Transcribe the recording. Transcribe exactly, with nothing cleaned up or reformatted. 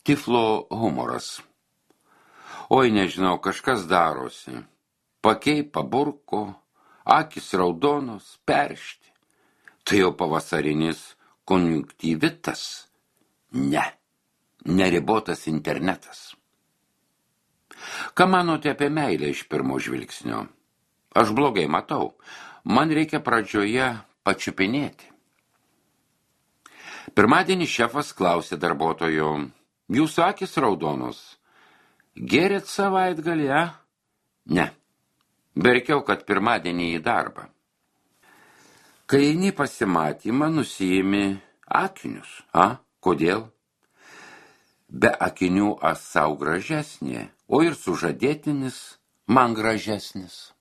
Tiflo humoras. Oi, nežinau, kažkas darosi. Pakei paburko, akis raudonos, peršti. Tai jau pavasarinis konjunktyvitas. Ne, neribotas internetas. Ką manote apie meilę iš pirmo žvilgsnio? Aš blogai matau. Man reikia pradžioje pačiupinėti. Pirmadienį šefas klausė darbuotojo, jūs akis raudonos. Gėrėt savaitgalį, a? Ne. Verkiau, kad pirmadienį į darbą. Kai eini pasimatymą, nusiimi akinius, a? Kodėl? Be akinių aš sau gražesnė, o ir sužadėtinis man gražesnis.